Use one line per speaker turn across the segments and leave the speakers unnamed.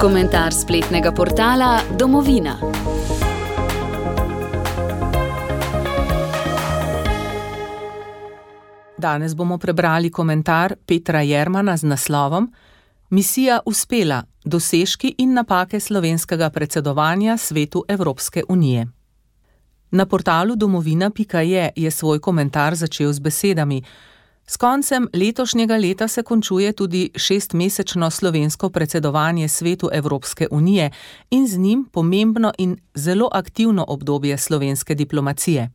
Komentar spletnega portala Domovina.
Danes bomo prebrali komentar Petra Jermana z naslovom Misija uspela, dosežki in napake slovenskega predsedovanja Svetu Evropske unije. Na portalu domovina.je je svoj komentar začel z besedami: S koncem letošnjega leta se končuje tudi 6-mesečno slovensko predsedovanje Svetu Evropske unije in z njim pomembno in zelo aktivno obdobje slovenske diplomacije.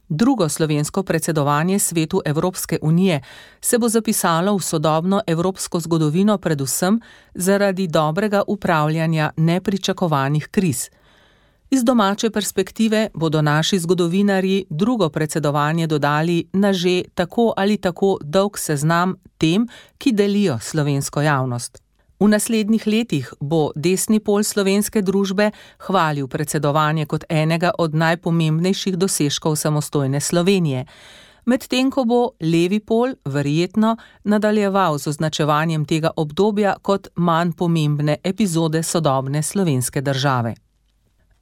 Drugo slovensko predsedovanje Svetu Evropske unije se bo zapisalo v sodobno evropsko zgodovino predvsem zaradi dobrega upravljanja nepričakovanih kriz. Iz domače perspektive bodo naši zgodovinarji drugo predsedovanje dodali na že tako ali tako dolg seznam tem, ki delijo slovensko javnost. V naslednjih letih bo desni pol slovenske družbe hvalil predsedovanje kot enega od najpomembnejših dosežkov samostojne Slovenije, medtem ko bo levi pol verjetno nadaljeval z označevanjem tega obdobja kot manj pomembne epizode sodobne slovenske države.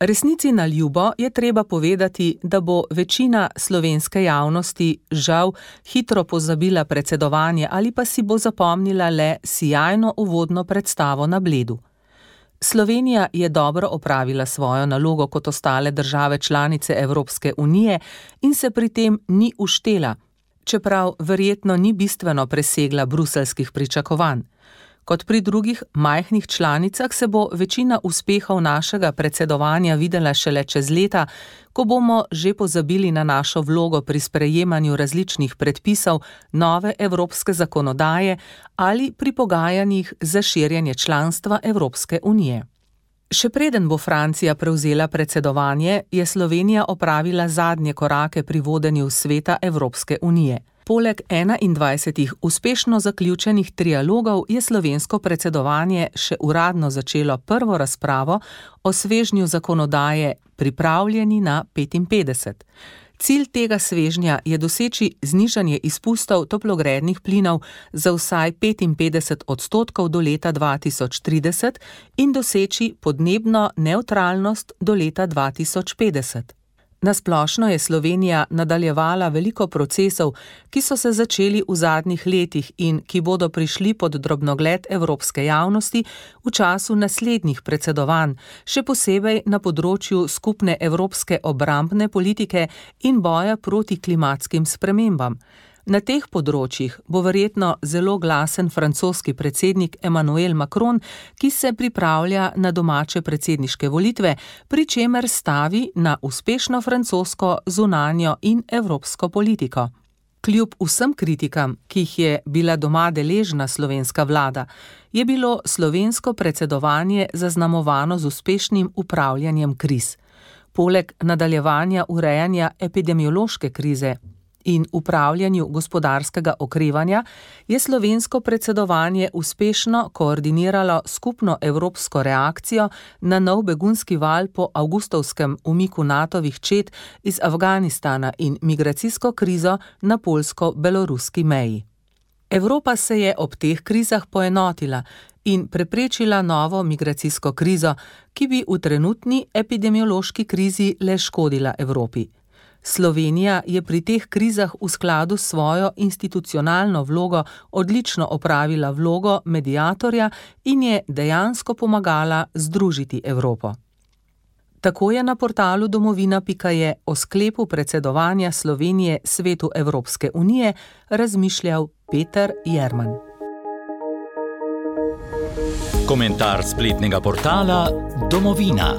Resnici na ljubo je treba povedati, da bo večina slovenske javnosti žal hitro pozabila predsedovanje ali pa si bo zapomnila le sijajno uvodno predstavo na Bledu. Slovenija je dobro opravila svojo nalogo kot ostale države članice Evropske unije in se pri tem ni uštela, čeprav verjetno ni bistveno presegla bruseljskih pričakovanj. Kot pri drugih majhnih članicah se bo večina uspehov našega predsedovanja videla šele čez leta, ko bomo že pozabili na našo vlogo pri sprejemanju različnih predpisov nove evropske zakonodaje ali pri pogajanjih za širjenje članstva Evropske unije. Še preden bo Francija prevzela predsedovanje, je Slovenija opravila zadnje korake pri vodenju Sveta Evropske unije. Poleg 21 uspešno zaključenih trialogov je slovensko predsedovanje še uradno začelo prvo razpravo o svežnju zakonodaje Pripravljeni na 55. Cilj tega svežnja je doseči znižanje izpustov toplogrednih plinov za vsaj 55% do leta 2030 in doseči podnebno nevtralnost do leta 2050. Nasplošno je Slovenija nadaljevala veliko procesov, ki so se začeli v zadnjih letih in ki bodo prišli pod drobnogled evropske javnosti v času naslednjih predsedovanj, še posebej na področju skupne evropske obrambne politike in boja proti klimatskim spremembam. Na teh področjih bo verjetno zelo glasen francoski predsednik Emmanuel Macron, ki se pripravlja na domače predsedniške volitve, pri čemer stavi na uspešno francosko zunanjo in evropsko politiko. Kljub vsem kritikam, ki jih je bila doma deležna slovenska vlada, je bilo slovensko predsedovanje zaznamovano z uspešnim upravljanjem kriz. Poleg nadaljevanja urejanja epidemiološke krize in upravljanju gospodarskega okrevanja je slovensko predsedovanje uspešno koordiniralo skupno evropsko reakcijo na nov begunski val po avgustovskem umiku NATO-vih čet iz Afganistana in migracijsko krizo na poljsko-beloruski meji. Evropa se je ob teh krizah poenotila in preprečila novo migracijsko krizo, ki bi v trenutni epidemiološki krizi le škodila Evropi. Slovenija je pri teh krizah v skladu s svojo institucionalno vlogo odlično opravila vlogo mediatorja in je dejansko pomagala združiti Evropo. Tako je na portalu domovina.je o sklepu predsedovanja Slovenije Svetu Evropske unije razmišljal Peter Jerman.
Komentar spletnega portala Domovina.